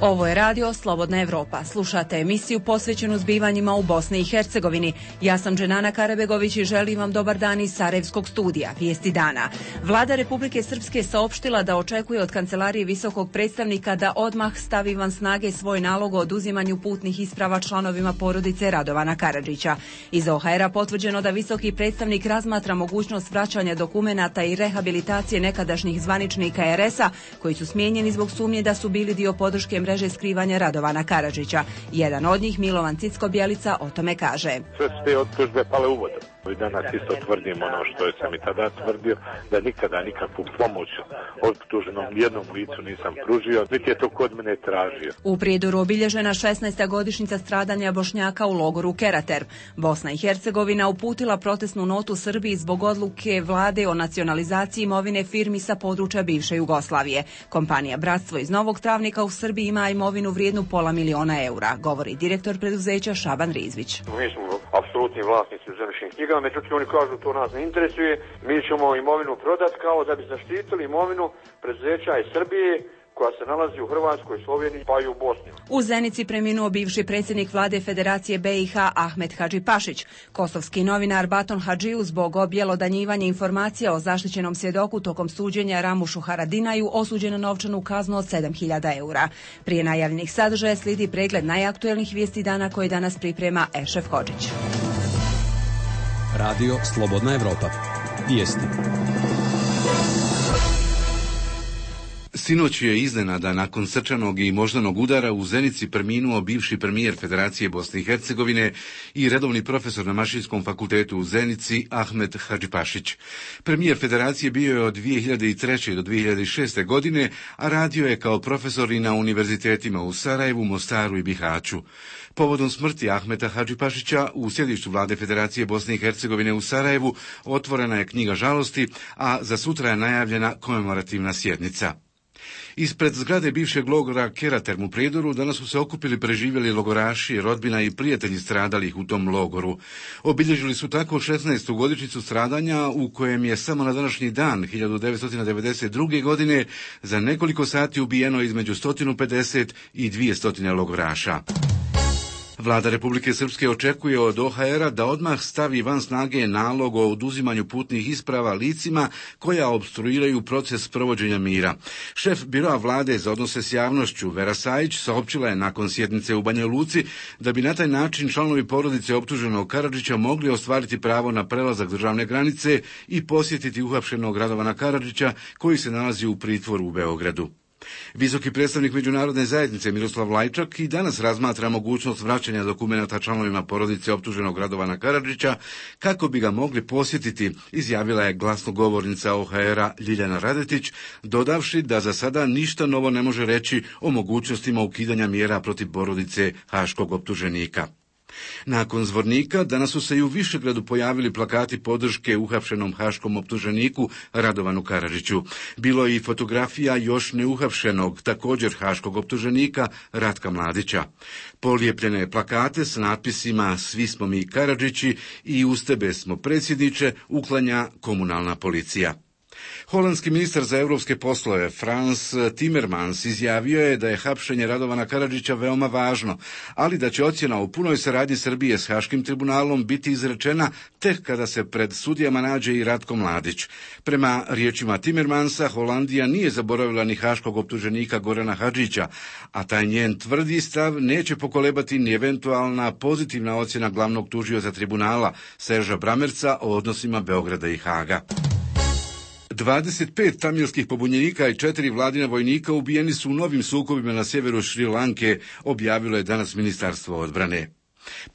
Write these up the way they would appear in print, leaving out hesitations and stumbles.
Ovo je radio Slobodna Evropa. Slušate emisiju posvećenu zbivanjima u Bosni i Hercegovini. Ja sam Dženana Karabegović i želim vam dobar dan iz Sarajevskog studija. Vijesti dana. Vlada Republike Srpske saopštila da očekuje od Kancelarije visokog predstavnika da odmah stavi van snage svoj nalog o oduzimanju putnih isprava članovima porodice Radovana Karadžića. Iz OHR-a potvrđeno da visoki predstavnik razmatra mogućnost vraćanja dokumenata i rehabilitacije nekadašnjih zvaničnika RS-a koji su smijenjeni zbog sumnje da su bili dio podrške mreže skrivanja Radovana Karadžića. Jedan od njih, Milovan Cicko-Bjelica, o tome kaže. Sve su te optužbe pale u vodu. I danas isto tvrdim ono što sam i tada tvrdio, da nikada nikakvu pomoć optuženom jednom licu nisam pružio, niti je to kod mene tražio. U Prijedoru obilježena 16. godišnjica stradanja Bošnjaka u logoru Kerater. Bosna i Hercegovina uputila protestnu notu Srbiji zbog odluke vlade o nacionalizaciji imovine firmi sa područja bivše Jugoslavije. Kompanija Bratstvo iz Novog Travnika u Srbiji ima imovinu vrijednu €500 000, govori direktor preduzeća Šaban Rizvić. Mi smo apsolutni vlasnici u zemljišnim knjigama, međutim oni kažu to nas ne interesuje, mi ćemo imovinu prodati kao da bi zaštitili imovinu preduzeća iz Srbije koja se nalazi u Hrvatskoj, Sloveniji pa i u Bosni. U Zenici preminuo bivši predsjednik vlade Federacije BiH Ahmet Hadžipašić. Kosovski novinar Baton Hadžiju zbog objelodanjivanja informacija o zaštićenom svjedoku tokom suđenja Ramušu Haradinaju osuđen na novčanu kaznu od €7.000. Prije najavljenih sadržaja slijedi pregled najaktuelnijih vijesti dana koje danas priprema Ešef Hodžić. Radio Slobodna Evropa. Vijesti. Sinoć je iznenada nakon srčanog i moždanog udara u Zenici preminuo bivši premijer Federacije Bosne i Hercegovine i redovni profesor na Mašinskom fakultetu u Zenici Ahmet Hadžipašić. Premijer Federacije bio je od 2003. do 2006. godine, a radio je kao profesor i na univerzitetima u Sarajevu, Mostaru i Bihaću. Povodom smrti Ahmeta Hadžipašića u sjedištu vlade Federacije Bosne i Hercegovine u Sarajevu otvorena je knjiga žalosti, a za sutra je najavljena komemorativna sjednica. Ispred zgrade bivšeg logora Kerater u Prijedoru danas su se okupili preživjeli logoraši, rodbina i prijatelji stradalih u tom logoru. Obilježili su tako 16. godišnjicu stradanja u kojem je samo na današnji dan 1992. godine za nekoliko sati ubijeno između 150 i 200 logoraša. Vlada Republike Srpske očekuje od OHR-a da odmah stavi van snage nalog o oduzimanju putnih isprava licima koja opstruiraju proces provođenja mira. Šef biroa vlade za odnose s javnošću Vera Sajić saopćila je nakon sjednice u Banja Luci da bi na taj način članovi porodice optuženog Karadžića mogli ostvariti pravo na prelazak državne granice i posjetiti uhapšenog Radovana Karadžića koji se nalazi u pritvoru u Beogradu. Visoki predstavnik međunarodne zajednice Miroslav Lajčak i danas razmatra mogućnost vraćanja dokumenata članovima porodice optuženog Radovana Karadžića kako bi ga mogli posjetiti, izjavila je glasnogovornica OHR-a Ljiljana Radetić, dodavši da za sada ništa novo ne može reći o mogućnostima ukidanja mjera protiv porodice haškog optuženika. Nakon Zvornika danas su se i u Višegradu pojavili plakati podrške uhapšenom haškom optuženiku Radovanu Karadžiću. Bilo je i fotografija još neuhapšenog, također haškog optuženika Ratka Mladića. Polijepljene plakate s natpisima "Svi smo mi Karadžići" i "Uz tebe smo predsjedniče" uklanja komunalna policija. Holandski ministar za europske poslove Frans Timmermans izjavio je da je hapšenje Radovana Karadžića veoma važno, ali da će ocjena o punoj saradnji Srbije s Haškim tribunalom biti izrečena tek kada se pred sudijama nađe i Ratko Mladić. Prema riječima Timmermansa, Holandija nije zaboravila ni haškog optuženika Gorana Hadžića, a taj njen tvrdi stav neće pokolebati ni eventualna pozitivna ocjena glavnog tužioca tribunala Serža Bramerca o odnosima Beograda i Haga. 25 tamilskih pobunjenika i 4 vladina vojnika ubijeni su u novim sukobima na sjeveru Šri Lanke, objavilo je danas Ministarstvo odbrane.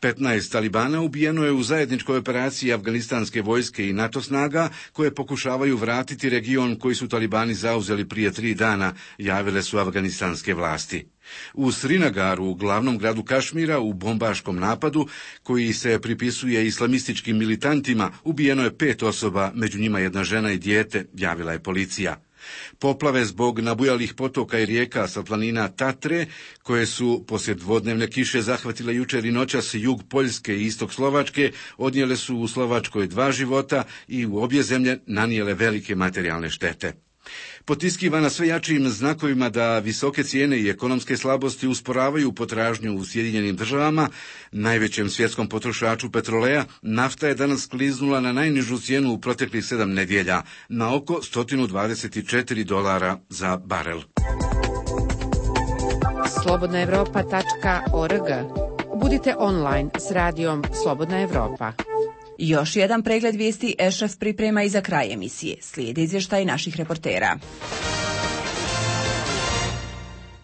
15 talibana ubijeno je u zajedničkoj operaciji afganistanske vojske i NATO snaga koje pokušavaju vratiti region koji su talibani zauzeli prije 3 dana, javile su afganistanske vlasti. U Srinagaru, glavnom gradu Kašmira, u bombaškom napadu, koji se pripisuje islamističkim militantima, ubijeno je 5 osoba, među njima 1 žena i dijete, javila je policija. Poplave zbog nabujalih potoka i rijeka sa planina Tatre, koje su poslije dvodnevne kiše zahvatile jučer i noćas jug Poljske i istok Slovačke, odnijele su u Slovačkoj 2 života i u obje zemlje nanijele velike materijalne štete. Potiskivana sve jačim znakovima da visoke cijene i ekonomske slabosti usporavaju potražnju u Sjedinjenim državama, najvećem svjetskom potrošaču petroleja, nafta je danas skliznula na najnižu cijenu u proteklih 7 nedjelja, na oko $124 za barel. slobodnaevropa.org. Budite online s radijom Slobodna Evropa. Još jedan pregled vijesti Ešref priprema i za kraj emisije. Slijedi izvještaj naših reportera.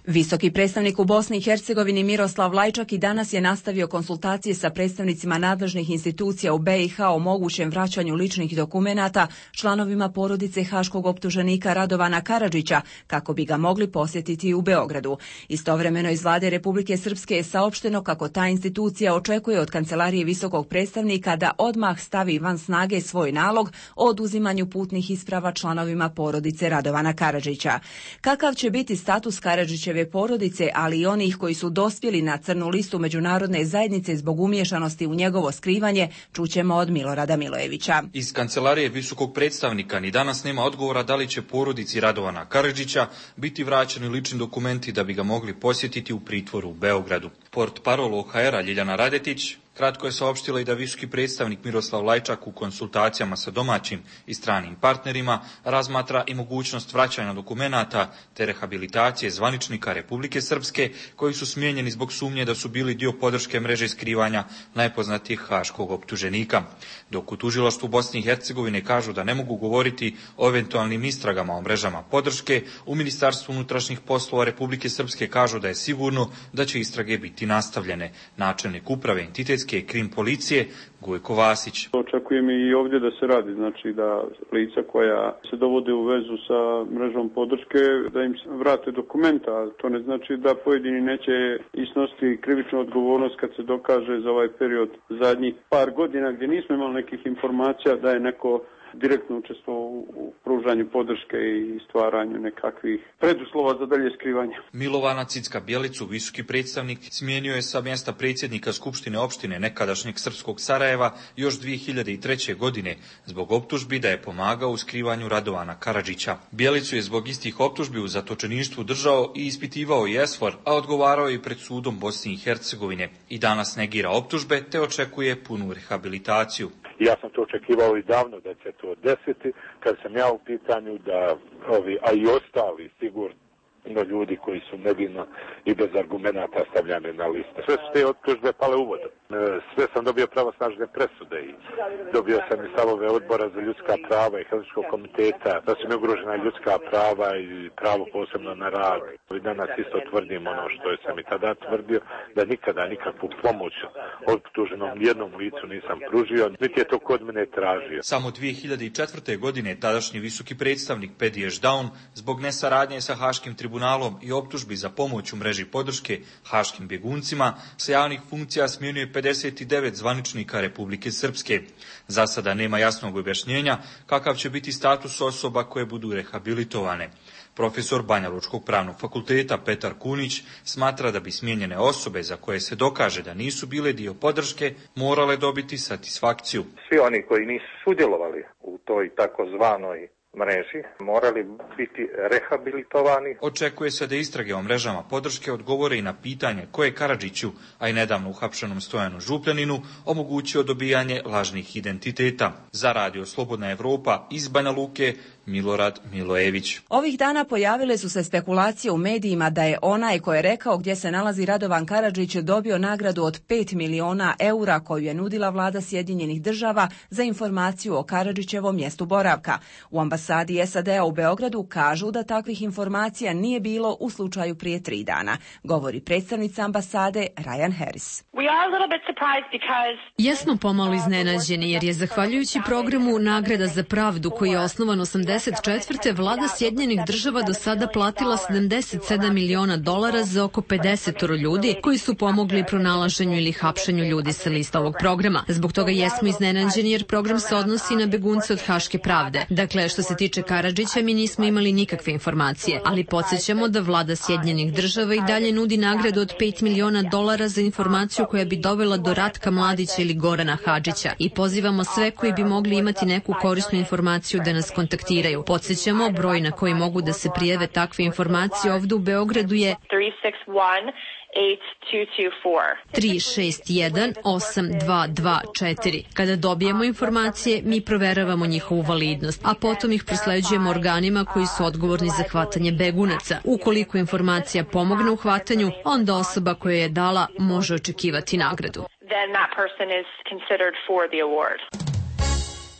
Visoki predstavnik u Bosni i Hercegovini Miroslav Lajčak i danas je nastavio konsultacije sa predstavnicima nadležnih institucija u BiH o mogućem vraćanju ličnih dokumenata članovima porodice haškog optuženika Radovana Karadžića kako bi ga mogli posjetiti u Beogradu. Istovremeno iz vlade Republike Srpske je saopšteno kako ta institucija očekuje od kancelarije visokog predstavnika da odmah stavi van snage svoj nalog o oduzimanju putnih isprava članovima porodice Radovana Karadžića. Kakav će biti status Karadžića porodice, ali i onih koji su dospjeli na crnu listu međunarodne zajednice zbog umiješanosti u njegovo skrivanje, čućemo od Milorada Milojevića. Iz kancelarije visokog predstavnika ni danas nema odgovora da li će porodici Radovana Karadžića biti vraćeni lični dokumenti da bi ga mogli posjetiti u pritvoru u Beogradu. Portparol OHR-a Ljiljana Radetić kratko je saopštila i da visoki predstavnik Miroslav Lajčak u konsultacijama sa domaćim i stranim partnerima razmatra i mogućnost vraćanja dokumenata te rehabilitacije zvaničnika Republike Srpske koji su smijenjeni zbog sumnje da su bili dio podrške mreže skrivanja najpoznatijih haškog optuženika. Dok u tužilaštvu Bosne i Hercegovine kažu da ne mogu govoriti o eventualnim istragama o mrežama podrške, u Ministarstvu unutrašnjih poslova Republike Srpske kažu da je sigurno da će istrage biti nastavljene. Načelnik uprave entitetske krim policije Gojko Vasić. Očekujem i ovdje da se radi, znači da lica koja se dovode u vezu sa mrežom podrške, da im vrate dokumenta. To ne znači da pojedini neće isnositi krivičnu odgovornost kad se dokaže za ovaj period zadnjih par godina gdje nismo imali nekih informacija da je neko direktno učestvovao u pružanju podrške i stvaranju nekakvih preduslova za dalje skrivanje. Milovana Cicka-Bjelicu, visoki predstavnik, smijenio je sa mjesta predsjednika Skupštine opštine nekadašnjeg srpskog Sarajeva još 2003. godine zbog optužbi da je pomagao u skrivanju Radovana Karadžića. Bjelicu je zbog istih optužbi u zatočeništvu držao i ispitivao i ESFOR, a odgovarao je i pred sudom Bosne i Hercegovine. I danas negira optužbe te očekuje punu rehabilitaciju. Ja sam to očekivao i davno da će to desiti, kad sam ja u pitanju da ovi, a i ostali sigurno ljudi koji su nevino i bez argumenata stavljani na listu. Sve su te optužbe pale u vodu. Sve sam dobio pravosnažne presude i dobio sam i stavove odbora za ljudska prava i Helsinškog komiteta, da su mi ugrožena ljudska prava i pravo posebno na rad. I danas isto tvrdim ono što sam i tada tvrdio, da nikada nikakvu pomoć optuženom jednom licu nisam pružio, niti je to kod mene tražio. Samo 2004. godine tadašnji visoki predstavnik Pediš Daun zbog nesaradnje sa Haškim tribunalom i optužbi za pomoć u mreži podrške haškim bjeguncima sa javnih funkcija smijenio 59 zvaničnika Republike Srpske. Za sada nema jasnog objašnjenja kakav će biti status osoba koje budu rehabilitovane. Profesor Banjalučkog pravnog fakulteta Petar Kunić smatra da bi smijenjene osobe za koje se dokaže da nisu bile dio podrške morale dobiti satisfakciju. Svi oni koji nisu sudjelovali u toj takozvanoj mreži morali biti rehabilitovani. Očekuje se da istrage o mrežama podrške odgovore i na pitanje ko je Karadžiću, a i nedavno uhapšenom Stojanu Župljaninu, omogućio dobijanje lažnih identiteta. Za Radio Slobodna Evropa iz Banja Luke, Milorad Milojević. Ovih dana pojavile su se spekulacije u medijima da je onaj ko je rekao gdje se nalazi Radovan Karadžić dobio nagradu od 5 miliona eura koju je nudila vlada Sjedinjenih država za informaciju o Karadžićevom mjestu boravka. U ambasadi SAD-a u Beogradu kažu da takvih informacija nije bilo u slučaju prije 3 dana, govori predstavnica ambasade Ryan Harris. Jesmo pomalo iznenađeni jer je zahvaljujući programu Nagrada za pravdu koji je osnovan 1984. vlada Sjedinjenih država do sada platila $77 miliona za oko 50 ljudi koji su pomogli pronalaženju ili hapšenju ljudi sa lista ovog programa. Zbog toga jesmo iznenađeni jer program se odnosi na begunce od Haške pravde. Dakle, što se se tiče Karadžića, mi nismo imali nikakve informacije, ali podsjećamo da vlada Sjedinjenih država i dalje nudi nagradu od $5 miliona za informaciju koja bi dovela do Ratka Mladića ili Gorana Hadžića i pozivamo sve koji bi mogli imati neku korisnu informaciju da nas kontaktiraju. Podsjećamo, broj na koji mogu da se prijave takve informacije ovde u Beogradu je 361-8224. Kada dobijemo informacije, mi proveravamo njihovu validnost, a potom ih prosleđujemo organima koji su odgovorni za hvatanje begunaca. Ukoliko informacija pomogne u hvatanju, onda osoba koja je dala može očekivati nagradu.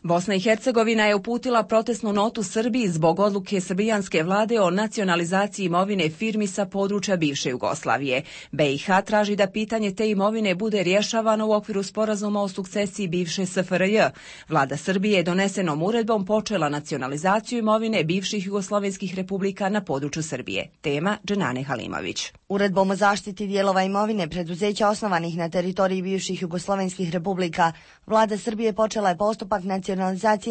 Bosna i Hercegovina je uputila protestnu notu Srbiji zbog odluke srbijanske vlade o nacionalizaciji imovine firmi sa područja bivše Jugoslavije. BiH traži da pitanje te imovine bude rješavano u okviru sporazuma o sukcesiji bivše SFRJ. Vlada Srbije je donesenom uredbom počela nacionalizaciju imovine bivših jugoslovenskih republika na području Srbije. Tema Dženane Halimović. Uredbom o zaštiti dijelova imovine preduzeća osnovanih na teritoriji bivših jugoslovenskih republika, vlada Srbije počela je postupak nacionalizacije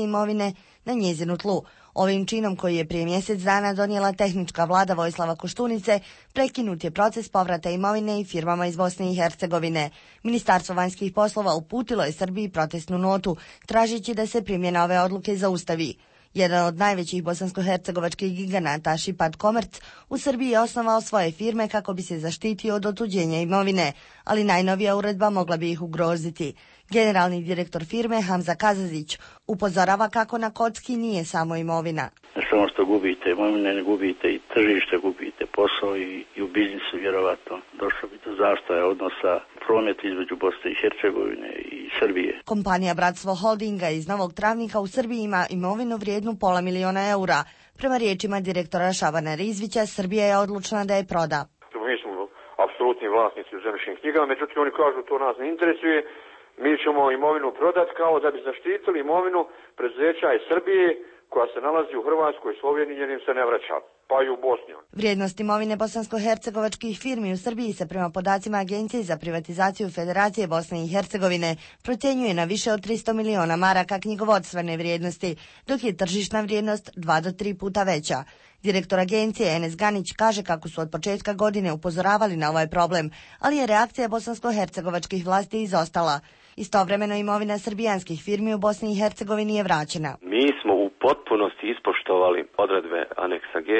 imovine na njezinu tlu. Ovim činom koji je prije mjesec dana donijela tehnička vlada Vojislava Koštunice, prekinut je proces povrata imovine i firmama iz Bosne i Hercegovine. Ministarstvo vanjskih poslova uputilo je Srbiji protestnu notu, tražeći da se primjena ove odluke zaustavi. Jedan od najvećih bosansko-hercegovačkih giganata, Šipad Komerc, u Srbiji je osnovao svoje firme kako bi se zaštitio od otuđenja imovine, ali najnovija uredba mogla bi ih ugroziti. Generalni direktor firme Hamza Kazazić upozorava kako na kocki nije samo imovina. Ne samo što gubite imovine, ne gubite i tržište, gubite posao i u biznisu vjerovatno došlo bi do zastoja odnosa promet između Bosne i Hercegovine i Srbije. Kompanija Bratstvo Holdinga iz Novog Travnika u Srbiji ima imovinu vrijednu $500 000 eura. Prema riječima direktora Šabana Rizvića, Srbija je odlučna da je proda. Mi smo apsolutni vlasnici u zemljišnim knjigama, međutim oni kažu to nas ne interesuje. Mi ćemo imovinu prodati kao da bi zaštitili imovinu preduzeća iz Srbije koja se nalazi u Hrvatskoj, Sloveniji jer im se ne vraća, pa i u Bosni. Vrijednost imovine bosansko-hercegovačkih firmi u Srbiji se prema podacima Agencije za privatizaciju Federacije Bosne i Hercegovine procjenjuje na više od 300 miliona maraka knjigovodstvene vrijednosti, dok je tržišna vrijednost 2 do 3 puta veća. Direktor agencije Enes Ganić kaže kako su od početka godine upozoravali na ovaj problem, ali je reakcija bosansko-hercegovačkih vlasti izostala. Istovremeno imovina srbijanskih firmi u Bosni i Hercegovini je vraćena. Mi smo u potpunosti ispoštovali odredbe aneksa G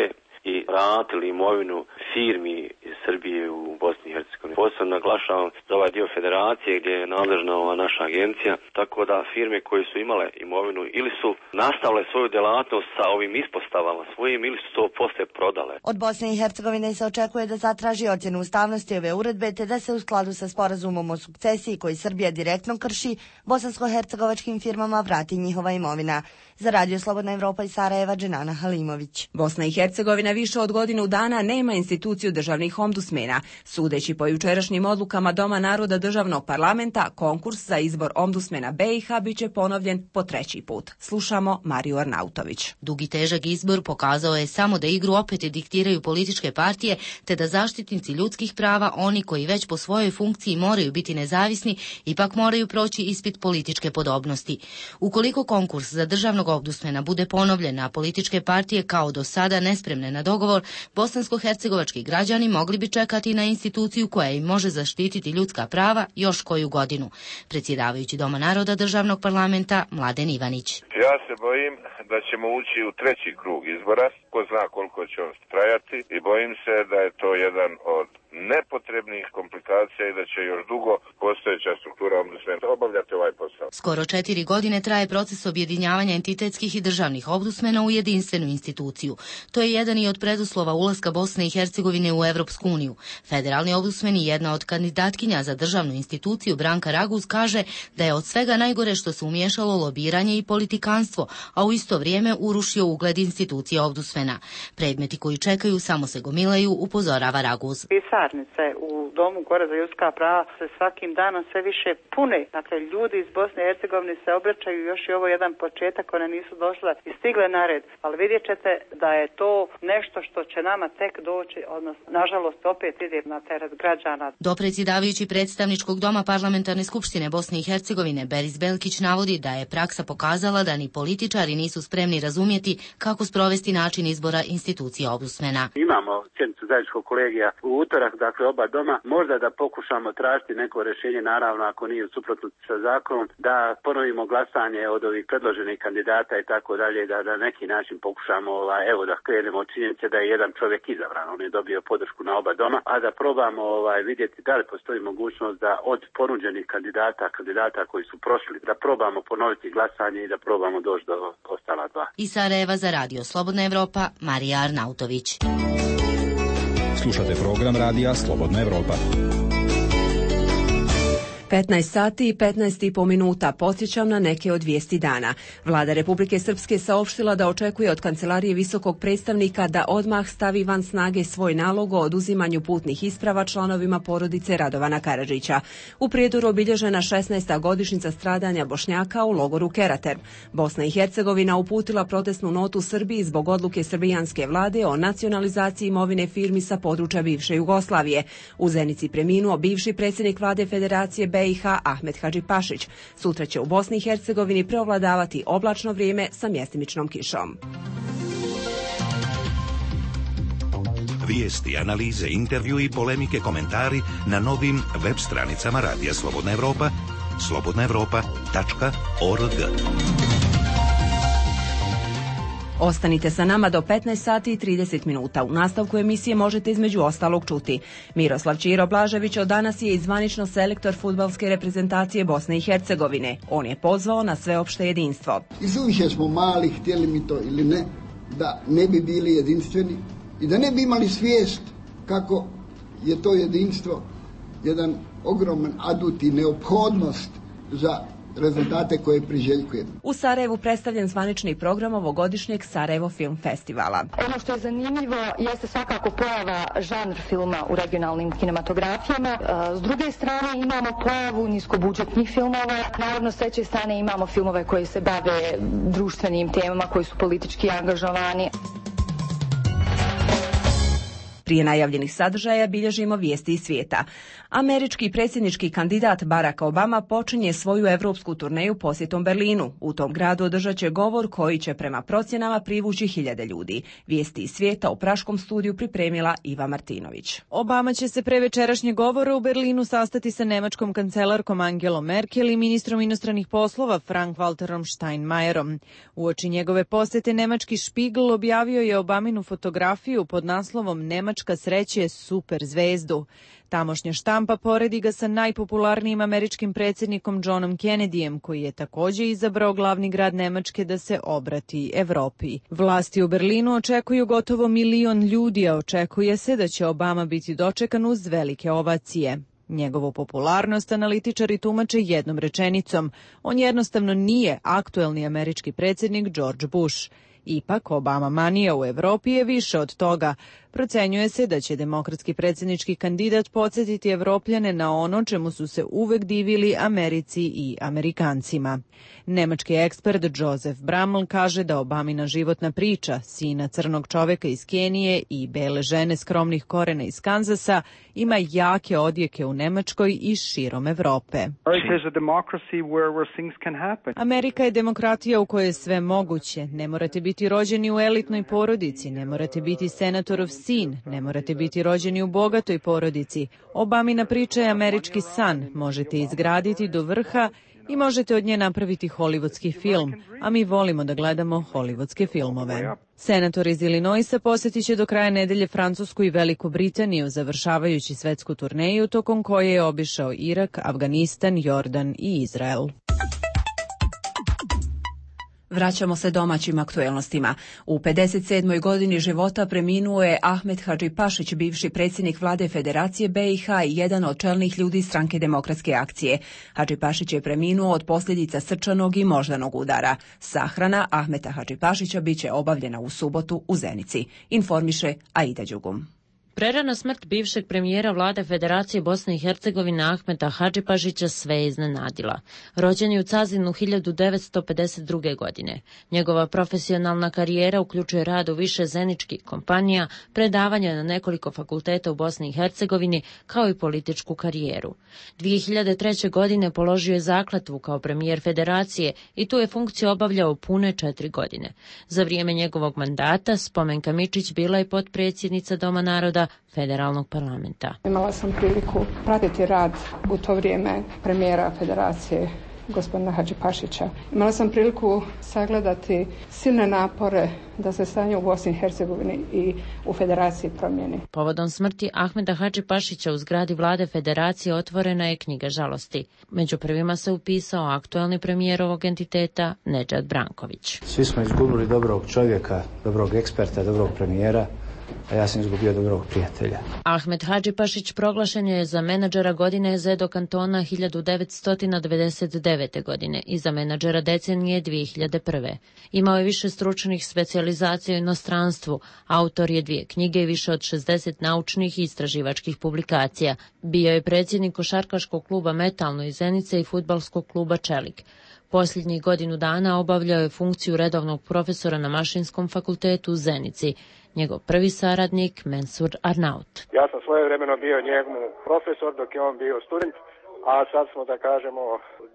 i vratili imovinu firmi iz Srbije u Bosni i Hercegovini. Posebno naglašavam za ovaj dio federacije gdje je nadležna ova naša agencija, tako da firme koje su imale imovinu ili su nastavile svoju djelatnost sa ovim ispostavama svojim ili su to poslije prodale. Od Bosne i Hercegovine se očekuje da zatraži ocjenu ustavnosti ove uredbe te da se u skladu sa sporazumom o sukcesiji koji Srbija direktno krši, bosansko-hercegovačkim firmama vrati njihova imovina. Za Radio Slobodna Evropa iz Sarajeva, Dženana Halimović. Bosna i Hercegovina više od godinu dana nema instituciju državnih ombudsmena. Sudeći po jučerašnjim odlukama Doma naroda državnog parlamenta, konkurs za izbor ombudsmena BiH biće ponovljen po 3. put. Slušamo Mariju Arnautović. Dugi težak izbor pokazao je samo da igru opet diktiraju političke partije, te da zaštitnici ljudskih prava, oni koji već po svojoj funkciji moraju biti nezavisni, ipak moraju proći ispit političke podobnosti. Ukoliko konkurs za državnog ombudsmena bude ponovljen, a političke partije kao do sada nespremne na dogovor, bosansko-hercegovački građani mogli bi čekati na instituciju koja im može zaštititi ljudska prava još koju godinu. Predsjedavajući Doma naroda državnog parlamenta Mladen Ivanić. Ja se bojim da ćemo ući u 3. krug izbora, ko zna koliko će on trajati, i bojim se da je to jedan od nepotrebnih komplikacija i da će još dugo postojeća struktura ombudsmena obavljati ovaj posao. Skoro 4 godine traje proces objedinjavanja entitetskih i državnih ombudsmena u jedinstvenu instituciju. To je jedan i od preduslova ulaska Bosne i Hercegovine u Evropsku uniju. Federalni ombudsmen i jedna od kandidatkinja za državnu instituciju Branka Raguz kaže da je od svega najgore što se umiješalo lobiranje i politikanstvo, a u isto vrijeme urušio ugled institucije ombudsmena. Predmeti koji čekaju samo se gomilaju, upozorava Raguz. I sad pekarnice u Domu gore za ljudska prava se svakim danom sve više pune. Dakle, ljudi iz Bosne i Hercegovine se obraćaju, još i ovo jedan početak, one nisu došle i stigle na red, ali vidjet ćete da je to nešto što će nama tek doći, odnosno, nažalost, opet ide na teret građana. Dopredsjedavajući predstavničkog doma Parlamentarne skupštine Bosne i Hercegovine Beris Belkić navodi da je praksa pokazala da ni političari nisu spremni razumjeti kako sprovesti način izbora institucija ombudsmana. Imamo sjednicu zajedničkog kolegija u utorak, dakle oba doma, možda da pokušamo tražiti neko rješenje, naravno ako nije u suprotnosti sa zakonom, da ponovimo glasanje od ovih predloženih kandidata i tako dalje, da na neki način pokušamo, evo da krenemo od činjenice da je jedan čovjek izabran, on je dobio podršku na oba doma, a da probamo vidjeti da li postoji mogućnost da od ponuđenih kandidata koji su prošli, da probamo ponoviti glasanje i da probamo doći do ostala dva. Iz Sarajeva za Radio Slobodna Evropa, Marija Arnautović. Slušate program Radija Slobodna Evropa. 15 sati i 15,5 minuta. Podsjećam na neke od vijesti dana. Vlada Republike Srpske saopštila da očekuje od Kancelarije visokog predstavnika da odmah stavi van snage svoj nalog o oduzimanju putnih isprava članovima porodice Radovana Karadžića. U Prijedoru obilježena 16. godišnjica stradanja Bošnjaka u logoru Kerater. Bosna i Hercegovina uputila protestnu notu Srbiji zbog odluke srbijanske vlade o nacionalizaciji imovine firmi sa područja bivše Jugoslavije. U Zenici preminuo bivši predsjednik vlade Federacije BiH Ahmet Hadžipašić. Sutra će u Bosni i Hercegovini preovladavati oblačno vrijeme sa mjestimičnom kišom. Vijesti, analize, intervju i polemike, komentari na novim web stranicama Radija Slobodna Evropa, slobodnaevropa.org. Ostanite sa nama do 15 sati i 30 minuta. U nastavku emisije možete između ostalog čuti. Miroslav Ćiro Blažević od danas je zvanično selektor fudbalske reprezentacije Bosne i Hercegovine. On je pozvao na sveopšte jedinstvo. Izuviše smo mali, htjeli mi to ili ne, da ne bi bili jedinstveni i da ne bi imali svijest kako je to jedinstvo jedan ogroman adut i neophodnost za rezultate koje priželjkujemo. U Sarajevu predstavljen zvanični program ovogodišnjeg Sarajevo Film Festivala. Ono što je zanimljivo jeste svakako pojava žanr filma u regionalnim kinematografijama. S druge strane imamo pojavu niskobudžetnih filmova. Naravno, s treće strane imamo filmove koji se bave društvenim temama, koji su politički angažovani. Prije najavljenih sadržaja bilježimo vijesti iz svijeta. Američki predsjednički kandidat Barack Obama počinje svoju evropsku turneju posjetom Berlinu. U tom gradu održat će govor koji će prema procjenama privući 1000 ljudi. Vijesti iz svijeta u praškom studiju pripremila Iva Martinović. Obama će se pre večerašnjeg govora u Berlinu sastati sa nemačkom kancelarkom Angelom Merkel i ministrom inostranih poslova Frank-Walterom Steinmeierom. Uoči njegove posjete nemački Spiegel objavio je Obaminu fotografiju pod naslovom Nemačka sreće super zvezdu. Tamošnja štampa poredi ga sa najpopularnijim američkim predsjednikom Johnom Kennedyjem, koji je također izabrao glavni grad Nemačke da se obrati Evropi. Vlasti u Berlinu očekuju gotovo 1 milion ljudi, a očekuje se da će Obama biti dočekan uz velike ovacije. Njegovu popularnost analitičari tumače jednom rečenicom. On jednostavno nije aktuelni američki predsjednik George Bush. Ipak, Obama manija u Evropi je više od toga. Procenjuje se da će demokratski predsjednički kandidat podsjetiti Evropljane na ono čemu su se uvek divili Americi i Amerikancima. Nemački ekspert Josef Braml kaže da Obamina životna priča, sina crnog čoveka iz Kenije i bele žene skromnih korena iz Kanzasa, ima jake odjeke u Nemačkoj i širom Evrope. Amerika je demokratija u kojoj je sve moguće. Ne morate biti rođeni u elitnoj porodici, ne morate biti senatorov sin, ne morate biti rođeni u bogatoj porodici. Obamina priča je američki san, možete izgraditi do vrha i možete od nje napraviti hollywoodski film, a mi volimo da gledamo hollywoodske filmove. Senator iz Illinoisa posjetit će do kraja nedelje Francusku i Veliku Britaniju, završavajući svetsku turneju tokom koje je obišao Irak, Afganistan, Jordan i Izrael. Vraćamo se domaćim aktuelnostima. U 57. godini života preminuo je Ahmet Hadžipašić, bivši predsjednik vlade Federacije BiH i jedan od čelnih ljudi Stranke demokratske akcije. Hadžipašić je preminuo od posljedica srčanog i moždanog udara. Sahrana Ahmeta Hadžipašića biće obavljena u subotu u Zenici. Informiše Aida Đugum. Prerana smrt bivšeg premijera vlade Federacije Bosne i Hercegovine Ahmeta Hadžipašića sve je iznenadila. Rođen je u Cazinu 1952. godine. Njegova profesionalna karijera uključuje rad u više zeničkih kompanija, predavanja na nekoliko fakulteta u Bosni i Hercegovini, kao i političku karijeru. 2003. godine položio je zakletvu kao premijer Federacije i tu je funkciju obavljao pune 4 godine. Za vrijeme njegovog mandata Spomenka Mičić bila je potpredsjednica Doma naroda Federalnog parlamenta. Imala sam priliku pratiti rad u to vrijeme premijera Federacije gospodina Hadžipašića. Imala sam priliku sagledati silne napore da se stanje u Bosni i Hercegovini i u Federaciji promijeni. Povodom smrti Ahmeta Hadžipašića u zgradi vlade Federacije otvorena je knjiga žalosti. Među prvima se upisao aktuelni premijer ovog entiteta Nedžad Branković. Svi smo izgubili dobrog čovjeka, dobrog eksperta, dobrog premijera, a ja sam izgubio dobrog prijatelja. Ahmet Hadžipašić proglašen je za menadžera godine ZEDO kantona 1999. godine i za menadžera decenije 2001. Imao je više stručnih specijalizacija u inostranstvu, autor je 2 knjige i više od 60 naučnih i istraživačkih publikacija. Bio je predsjednik košarkaškog kluba Metalno iz Zenice i fudbalskog kluba Čelik. Posljednjih godinu dana obavljao je funkciju redovnog profesora na Mašinskom fakultetu u Zenici. Njegov prvi saradnik Mensur Arnaut. Ja sam svojevremeno bio njegov profesor dok je on bio student, a sad smo, da kažemo,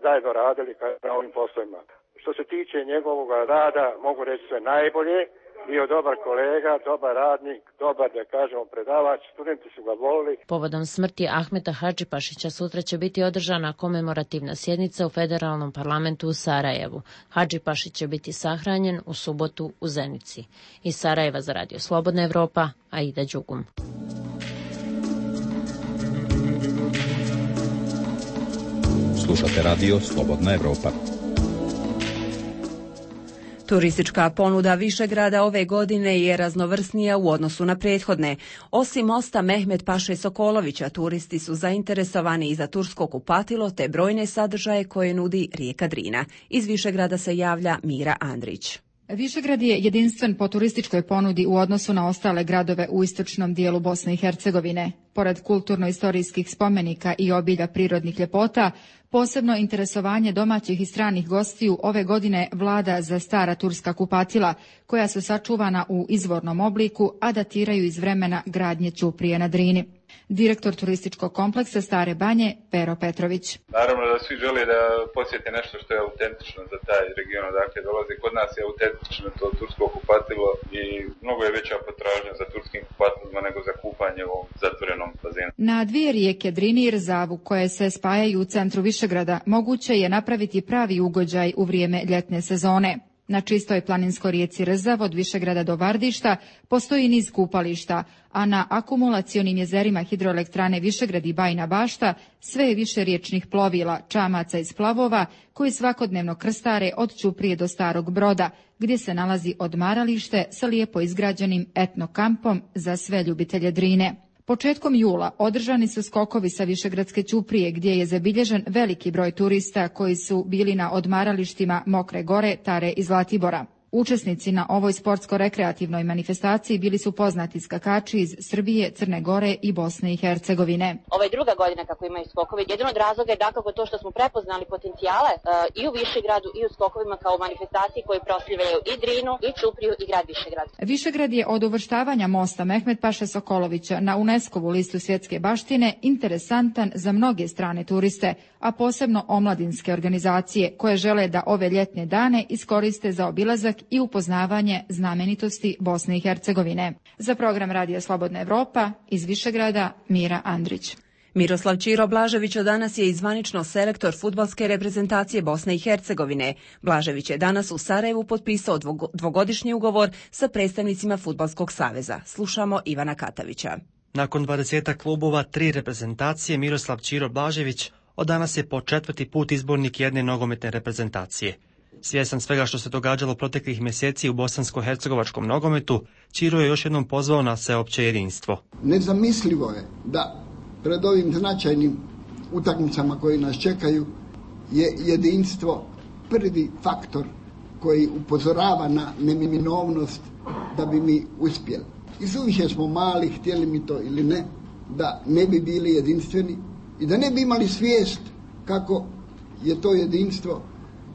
zajedno radili na ovim poslovima. Što se tiče njegovog rada, mogu reći sve najbolje. Bio dobar kolega, dobar radnik, dobar, da kažemo, predavač, studenti su ga volili. Povodom smrti Ahmeta Hadžipašića sutra će biti održana komemorativna sjednica u Federalnom parlamentu u Sarajevu. Hadžipašić će biti sahranjen u subotu u Zenici. Iz Sarajeva za Radio Slobodna Evropa, Aida Đugum. Slušate Radio Slobodna Evropa. Turistička ponuda Višegrada ove godine je raznovrsnija u odnosu na prethodne. Osim mosta Mehmet Paše Sokolovića, turisti su zainteresovani i za tursko kupatilo te brojne sadržaje koje nudi rijeka Drina. Iz Višegrada se javlja Mira Andrić. Višegrad je jedinstven po turističkoj ponudi u odnosu na ostale gradove u istočnom dijelu Bosne i Hercegovine. Pored kulturno-istorijskih spomenika i obilja prirodnih ljepota, posebno interesovanje domaćih i stranih gostiju ove godine vlada za stara turska kupatila, koja su sačuvana u izvornom obliku, a datiraju iz vremena gradnje ćuprije na Drini. Direktor turističkog kompleksa Stare Banje, Pero Petrović. Naravno da svi žele da posjete nešto što je autentično za taj region odakle dolazi. Kod nas je autentično to tursko kupatilo i mnogo je veća potražnja za turskim kupatilima nego za kupanje u ovom zatvorenom bazenu. Na 2 rijeke Drini i Rzavu koje se spajaju u centru Višegrada moguće je napraviti pravi ugođaj u vrijeme ljetne sezone. Na čistoj planinskoj rijeci Rzav od Višegrada do Vardišta postoji niz kupališta, a na akumulacionim jezerima hidroelektrane Višegrad i Bajina Bašta sve je više riječnih plovila, čamaca i splavova koji svakodnevno krstare od Ćuprije do Starog Broda, gdje se nalazi odmaralište sa lijepo izgrađenim etno kampom za sve ljubitelje Drine. Početkom jula održani su skokovi sa Višegradske ćuprije gdje je zabilježen veliki broj turista koji su bili na odmaralištima Mokre Gore, Tare i Zlatibora. Učesnici na ovoj sportsko-rekreativnoj manifestaciji bili su poznati skakači iz Srbije, Crne Gore i Bosne i Hercegovine. Ovo je druga godina kako imaju skokovi. Jedan od razloga je dakako to što smo prepoznali potencijale i u Višegradu i u skokovima kao manifestaciji koji proslavljaju i Drinu, i Ćupriju i grad Višegrad. Višegrad je od uvrštavanja mosta Mehmet Paše Sokolovića na UNESCO-vu listu svjetske baštine interesantan za mnoge strane turiste, a posebno omladinske organizacije koje žele da ove ljetne dane iskoriste za obilazak i upoznavanje znamenitosti Bosne i Hercegovine. Za program Radija Slobodna Evropa iz Višegrada, Mira Andrić. Miroslav Ćiro Blažević od danas je i zvanično selektor fudbalske reprezentacije Bosne i Hercegovine. Blažević je danas u Sarajevu potpisao dvogodišnji ugovor sa predstavnicima Fudbalskog saveza. Slušamo Ivana Katavića. Nakon 20 klubova, 3 reprezentacije, Miroslav Ćiro Blažević od danas je po 4. put izbornik jedne nogometne reprezentacije. Svjestan svega što se događalo proteklih mjeseci u bosansko-hercegovačkom nogometu, Ćiro je još jednom pozvao na sveopće jedinstvo. Nezamislivo je da pred ovim značajnim utakmicama koji nas čekaju je jedinstvo prvi faktor koji upozorava na neminovnost da bi mi uspjeli. I suviše smo mali, htjeli mi to ili ne, da ne bi bili jedinstveni i da ne bi imali svijest kako je to jedinstvo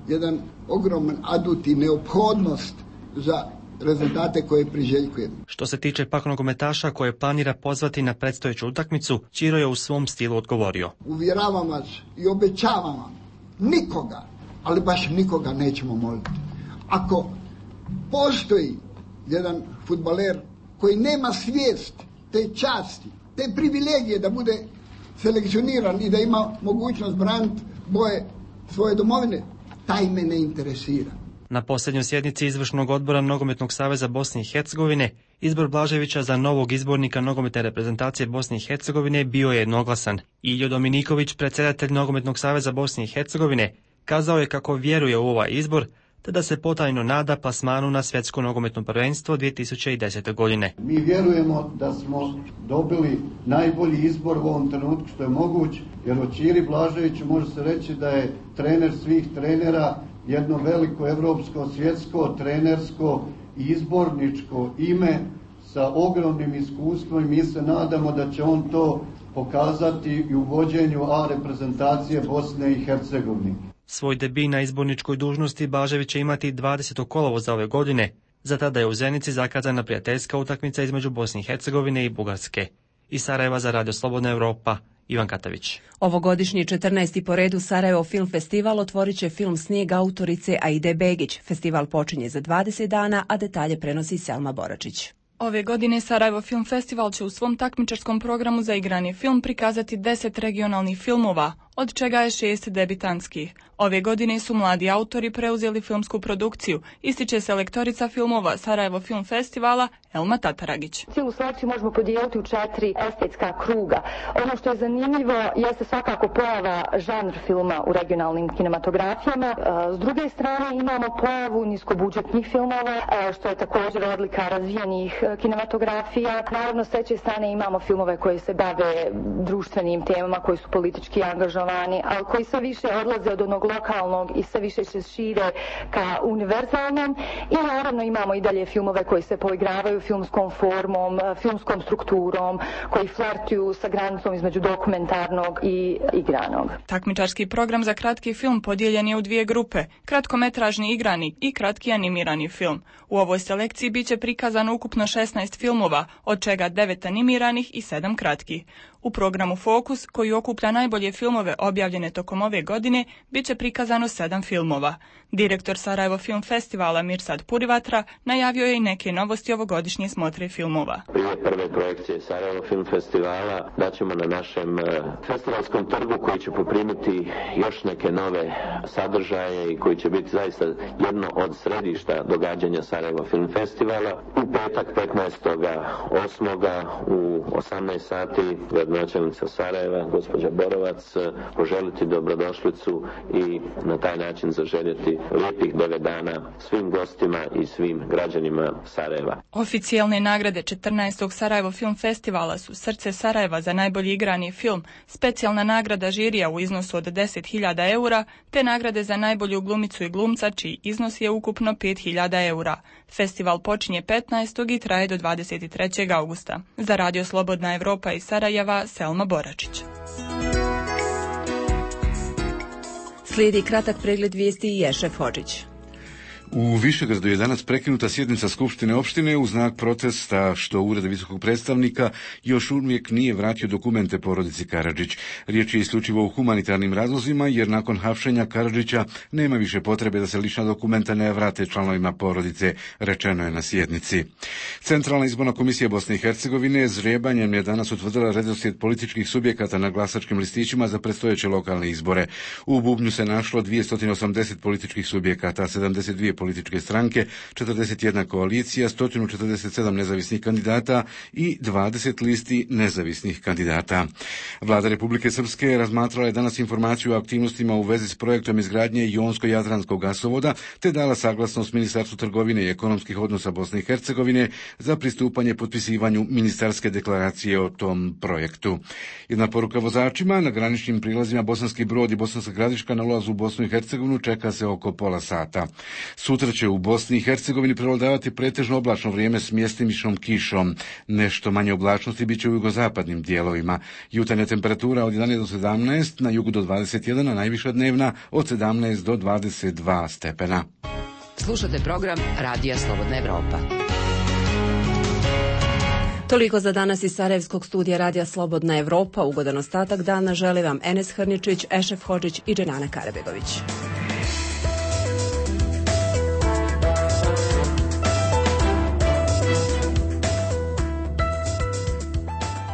jedan ogroman adut i neophodnost za rezultate koje priželjkujemo. Što se tiče pak nogometaša koje planira pozvati na predstojeću utakmicu, Ćiro je u svom stilu odgovorio. Uvjeravam vas i obećavam vam, nikoga, ali baš nikoga nećemo moliti. Ako postoji jedan fudbaler koji nema svijest te časti, te privilegije da bude selekcioniran i da ima mogućnost braniti boje svoje domovine, taj me ne interesira. Na posljednjoj sjednici Izvršnog odbora Nogometnog saveza Bosne i Hercegovine izbor Blaževića za novog izbornika nogometne reprezentacije Bosne i Hercegovine bio je jednoglasan. Iljo Dominiković, predsjedatelj Nogometnog saveza Bosne i Hercegovine, kazao je kako vjeruje u ovaj izbor, te da se potajno nada plasmanu na svjetsko nogometno prvenstvo 2010. godine. Mi vjerujemo da smo dobili najbolji izbor u ovom trenutku što je moguć, jer o Ćiri Blaževiću može se reći da je trener svih trenera, jedno veliko evropsko, svjetsko, trenersko i izborničko ime sa ogromnim iskustvom i mi se nadamo da će on to pokazati i u vođenju A reprezentacije Bosne i Hercegovine. Svoj debi na izborničkoj dužnosti Blažević će imati 20. kolovoza ove godine. Za tada je u Zenici zakazana prijateljska utakmica između Bosne i Hercegovine i Bugarske. Iz Sarajeva za Radio Slobodna Evropa, Ivan Katavić. Ovogodišnji 14. po redu Sarajevo Film Festival otvorit će film Snijeg autorice Aide Begić. Festival počinje za 20 dana, a detalje prenosi Selma Boračić. Ove godine Sarajevo Film Festival će u svom takmičarskom programu za igrani film prikazati 10 regionalnih filmova, od čega je 6 debitanskih. Ove godine su mladi autori preuzeli filmsku produkciju, ističe selektorica filmova Sarajevo Film Festivala Elma Tataragić. Cijelu selekciju možemo podijeliti u 4 estetska kruga. Ono što je zanimljivo jeste svakako pojava žanr filma u regionalnim kinematografijama. S druge strane imamo pojavu niskobudžetnih filmova, što je također odlika razvijenih kinematografija. Naravno, s treće strane imamo filmove koji se bave društvenim temama, koji su politički angažovani, ali koji sve više odlaze od onog lokalnog i sve više se šire ka univerzalnom. I naravno imamo i dalje filmove koji se poigravaju filmskom formom, filmskom strukturom, koji flertuju sa granicom između dokumentarnog i igranog. Takmičarski program za kratki film podijeljen je u 2 grupe, kratkometražni igrani i kratki animirani film. U ovoj selekciji biće prikazano ukupno 16 filmova, od čega 9 animiranih i 7 kratkih. U programu Fokus, koji okuplja najbolje filmove objavljene tokom ove godine, bit će prikazano 7 filmova. Direktor Sarajevo Film Festivala Mirsad Purivatra najavio je i neke novosti ovogodišnje smotre filmova. Prije prve projekcije Sarajevo Film Festivala daćemo na našem festivalskom trgu koji će poprimiti još neke nove sadržaje i koji će biti zaista jedno od središta događanja Sarajevo Film Festivala. U petak 15.8. u 18 sati gradonačelnica Sarajeva, gospođa Borovac, poželiti dobrodošlicu i na taj način zaželjeti lijepih 9 dana svim gostima i svim građanima Sarajeva. Oficijalne nagrade 14. Sarajevo Film Festivala su Srce Sarajeva za najbolji igrani film, specijalna nagrada žirija u iznosu od 10.000 eura, te nagrade za najbolju glumicu i glumca, čiji iznos je ukupno 5.000 eura. Festival počinje 15. i traje do 23. augusta. Za Radio Slobodna Evropa iz Sarajeva, Selma Boračić. Slijedi kratak pregled vijesti i Ješef Hodžić. U Višegradu je danas prekinuta sjednica Skupštine opštine u znak protesta što Ured visokog predstavnika još uvijek nije vratio dokumente porodici Karadžić. Riječ je isključivo o humanitarnim razlozima jer nakon hapšenja Karadžića nema više potrebe da se lična dokumenta ne vrate članovima porodice, rečeno je na sjednici. Centralna izborna komisija Bosne i Hercegovine žrebanjem je danas utvrdila redoslijed političkih subjekata na glasačkim listićima za predstojeće lokalne izbore. U bubnju se našlo 280 političkih subjekata, 72 političke stranke, 41 koalicija, 147 nezavisnih kandidata i 20 listi nezavisnih kandidata. Vlada Republike Srpske razmatrala je danas informaciju o aktivnostima u vezi s projektom izgradnje Jonsko-Jadranskog gasovoda, te dala saglasnost Ministarstvu trgovine i ekonomskih odnosa Bosne i Hercegovine za pristupanje potpisivanju ministarske deklaracije o tom projektu. Jedna poruka vozačima: na graničnim prilazima Bosanski Brod i Bosanska Gradiška na ulazu u Bosnu i Hercegovinu čeka se oko pola sata. Sutra će u Bosni i Hercegovini prevladavati pretežno oblačno vrijeme s mjestimičnom kišom. Nešto manje oblačnosti bit će u jugozapadnim dijelovima. Jutarnja temperatura od 11 do 17, na jugu do 21, a najviša dnevna od 17 do 22 stepena. Slušate program Radija Slobodna Evropa. Toliko za danas iz Sarajevskog studija Radija Slobodna Evropa. Ugodan ostatak dana želi vam Enes Hrničić, Ešef Hodžić i Dženana Karabegović.